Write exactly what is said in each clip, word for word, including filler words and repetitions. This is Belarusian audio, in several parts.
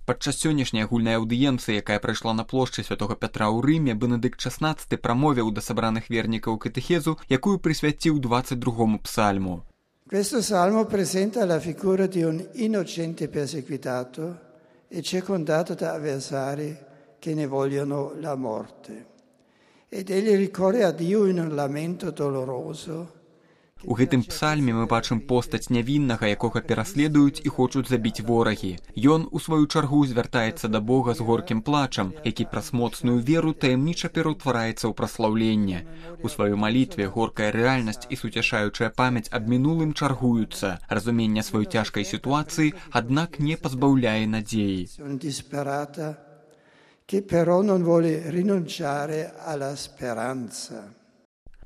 Падчас сённяшняй агульнай аўдыенцыі, якая прайшла на плошчы Святога Пятра ў Рыме, Бенедыкт шаснаццаты прамовіў да сабраных вернікаў катэхезу, якую прысвяціў двадцать другому псальму. Questo salmo presenta la figura di un innocente perseguitato e circondato da avversari che ne vogliono la morte. Ed egli ricorre a Dio in un lamento doloroso. У гэтым псальме мы бачым постаць нявіннага, якога пераследуюць і хочуць забіць ворагі. Ён, у сваю чаргу, звяртаецца да Бога з горкім плачам, які праз моцную веру таямніча пераўтвараецца ў праслаўленне. У сваёй малітве горкая рэальнасць і суцяшаючая памяць аб мінулым чаргуюцца. Разуменне сваёй цяжкай сітуацыі, аднак не пазбаўляе надзеі. Che però non vuole rinunciare alla speranza.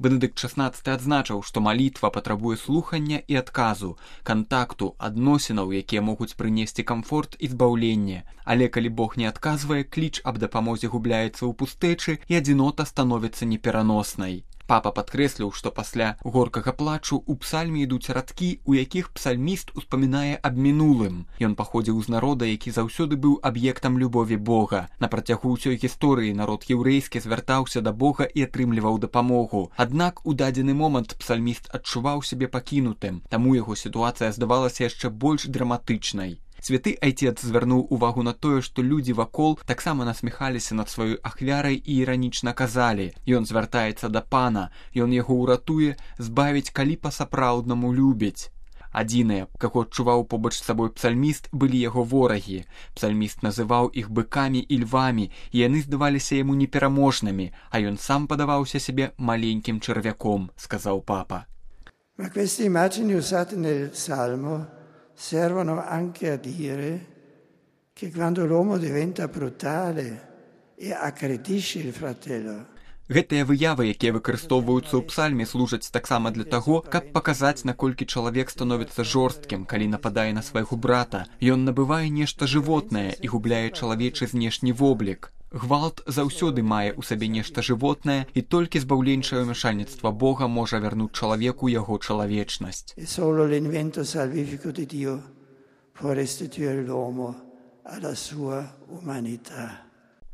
Бенедыкт шаснаццаты адзначыў, што малітва патрабуе слухання і адказу, кантакту, адносінаў, якія могуць прынесці камфорт і збаўленне. Але калі Бог не адказвае, кліч аб дапамозе губляецца ў пустэчы і адзінота становіцца непераноснай. Папа падкрэсліў, што пасля горкага плачу ў псальме ідуць радкі, у якіх псальміст успамінае аб мінулым. Ён паходзіў з народа, які заўсёды быў аб'ектам любові Бога. На працягу ўсёй гісторыі народ еўрэйскі звяртаўся да Бога і атрымліваў дапамогу. Аднак у дадзены момант псальміст адчуваў сябе пакінутым, таму яго сітуацыя здавалася яшчэ больш драматычнай. Святы айцец звярнуў увагу на тое, што людзі вакол таксама насміхаліся над сваёй ахвярай і іранічна казалі: «Ён звяртаецца да Пана, ён яго ўратуе, збавіць, калі па-сапраўднаму любіць». Адзіныя, каго адчуваў побач з сабой псальміст, былі яго ворагі. Псальміст называў іх быкамі і львамі, і яны здаваліся яму непераможнымі, а ён сам падаваўся сябе маленькім чарвяком, сказаў папа. Ma queste immagini usate nel Salmo servono anche a dire che quando l'uomo diventa brutale e aggredisce il fratello. Гэтыя выявы, якія выкарыстоўваюцца ў псальме, служаць таксама для таго, каб паказаць, наколькі чалавек становіцца жорсткім, калі нападае на свайго брата. Ён набывае нешта жывотнае і губляе чалавечы знешні воблік. Гвалт заўсёды мае ў сабе нешта жывотнае, і толькі збаўленчае ўмяшальніцтва Бога можа вярнуць чалавеку яго чалавечнасць. E solo l'invento salvifico di Dio può restituire l'uomo alla sua umanità.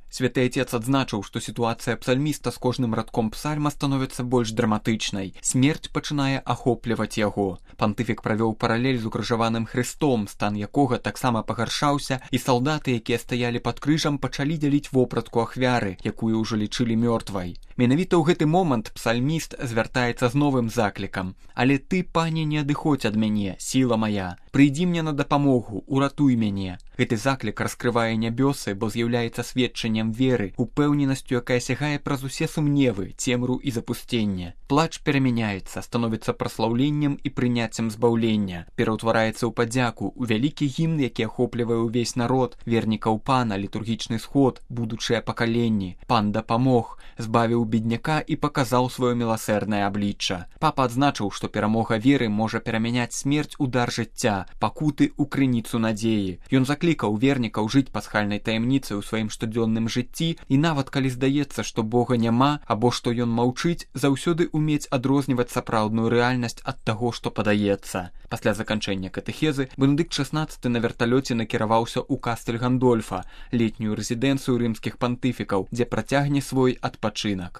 Святы айцец адзначыў, што сітуацыя псальміста з кожным радком псальма становіцца больш драматычнай. Смерць пачынае ахопліваць яго. Пантыфік правёў паралель з укрыжаваным Хрыстом, стан якога таксама пагаршаўся, і салдаты, якія стаялі пад крыжам, пачалі дзяліць вопратку ахвяры, якую ўжо лічылі мёртвай. Менавіта ў гэты момант псальміст звяртаецца з новым заклікам: «Але ты, Пане, не адыходзь ад мяне, сіла мая, прыйдзі мне на дапамогу, уратуй мяне». Гэты заклік раскрывае нябёсы, бо з'яўляецца сведчаннем веры, упэўненасцю, якая сягае праз усе сумневы, цемру і запусценне. Плач перамяняецца, становіцца праслаўленнем і прыняццем збаўлення, пераўтвараецца ў падзяку, у вялікі гімн, які ахоплівае ўвесь народ, вернікаў Пана, літургічны сход, будучыя пакаленні. Пан дапамог, збавіў бедняка і паказаў сваё міласэрнае аблічча. Папа адзначыў, што перамога веры можа перамяняць смерць у дар жыцця, пакуты ў крыніцу надзеі. Ён заклікаў вернікаў жыць пасхальнай таямніцай у сваім штодзённым жыцці, і нават калі здаецца, што Бога няма або што ён маўчыць, заўсёды умець адрозніваць сапраўдную рэальнасць ад таго, што падаецца. Пасля заканчэння катэхезы Бенедыкт шаснаццаты на верталёце накіраваўся ў Кастэль Гандольфа, летнюю рэзідэнцыю рымскіх пантыфікаў, дзе працягне свой адпачынак.